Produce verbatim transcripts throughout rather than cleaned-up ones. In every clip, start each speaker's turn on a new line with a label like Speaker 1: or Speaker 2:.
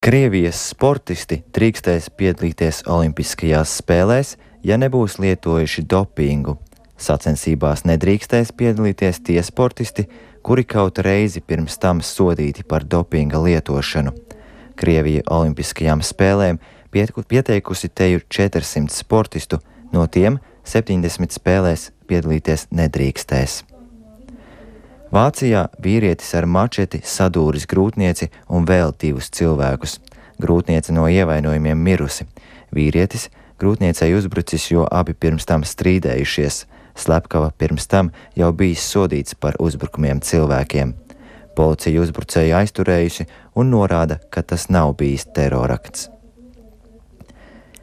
Speaker 1: Krievijas sportisti drīkstēs piedalīties Olimpiskajās spēlēs, ja nebūs lietojuši dopingu. Sacensībās nedrīkstēs piedalīties tie sportisti, kuri kaut reizi pirms tam sodīti par dopinga lietošanu. Krievija Olimpiskajām spēlēm pieteikusi teju četrsimt sportistu, no tiem septiņdesmit spēlēs piedalīties nedrīkstēs. Vācijā vīrietis ar mačeti sadūris grūtnieci un vēl divus cilvēkus. Grūtniece no ievainojumiem mirusi. Vīrietis grūtniecei uzbrucis, jo abi pirms tam strīdējušies. Slepkava pirms tam jau bijis sodīts par uzbrukumiem cilvēkiem. Policija uzbrucēju aizturējusi un norāda, ka tas nav bijis terorakts.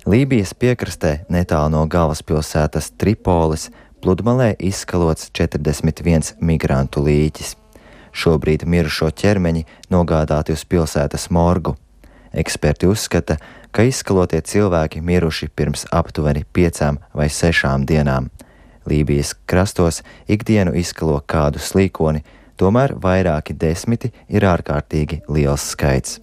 Speaker 1: Lībijas piekrastē netālu no galvaspilsētas Tripolis pludmalē izskalots četrdesmit viens migrantu līķis. Šobrīd mirušo ķermeņi nogādāti uz pilsētas morgu. Eksperti uzskata, ka izskalotie cilvēki miruši pirms aptuveni piecām vai sešām dienām. Lībijas krastos ikdienu izskalo kādu slīkoni, tomēr vairāki desmiti ir ārkārtīgi liels skaits.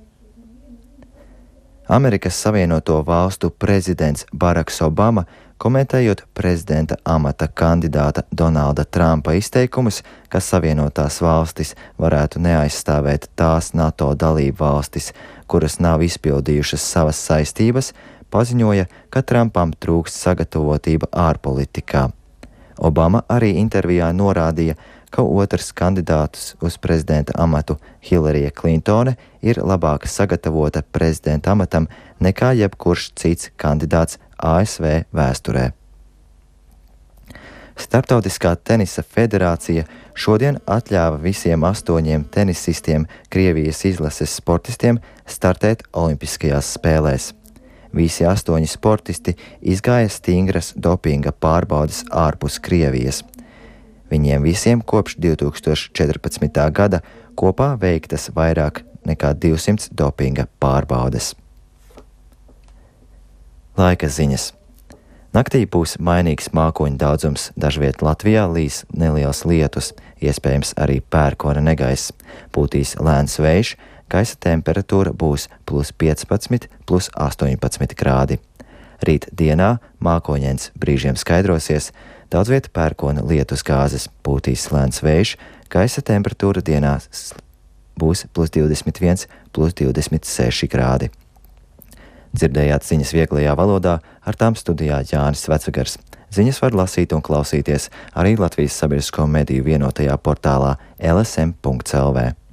Speaker 1: Amerikas Savienoto Valstu prezidents Baraks Obama, komentējot prezidenta amata kandidāta Donalda Trumpa izteikumus, ka Savienotās valstis varētu neaizstāvēt tās NATO dalību valstis, kuras nav izpildījušas savas saistības, paziņoja, ka Trumpam trūkst sagatavotība ārpolitikā. Obama arī intervijā norādīja, ka otrs kandidāts uz prezidenta amatu Hillarija Klintone ir labāk sagatavota prezidenta amatam nekā jebkurš cits kandidāts A S V vēsturē. Starptautiskā tenisa federācija šodien atļāva visiem astoņiem tenisistiem Krievijas izlases sportistiem startēt Olimpiskajās spēlēs. Visi astoņi sportisti izgāja stingras dopinga pārbaudes ārpus Krievijas. Viņiem visiem kopš divi tūkstoši četrpadsmitā gada kopā veiktas vairāk nekā divsimt dopinga pārbaudes. Laika ziņas. Naktī būs mainīgs mākoņu daudzums, dažviet Latvijā līs neliels lietus, iespējams arī pērkona negaiss. Pūtīs lēns vējš, gaisa temperatūra būs plus piecpadsmit, plus astoņpadsmit grādi. Rīt dienā mākoņains brīžiem skaidrosies, daudzviet pērkona lietus gāzes, pūtīs lēns vējš, gaisa temperatūra dienā būs plus divdesmit viens, plus divdesmit seši grādi. Dzirdējāt ziņas vieglajā valodā, ar tām studijā Jānis Vecvegars. Ziņas var lasīt un klausīties arī Latvijas sabiedrisko mediju vienotajā portālā L S M punkts L V.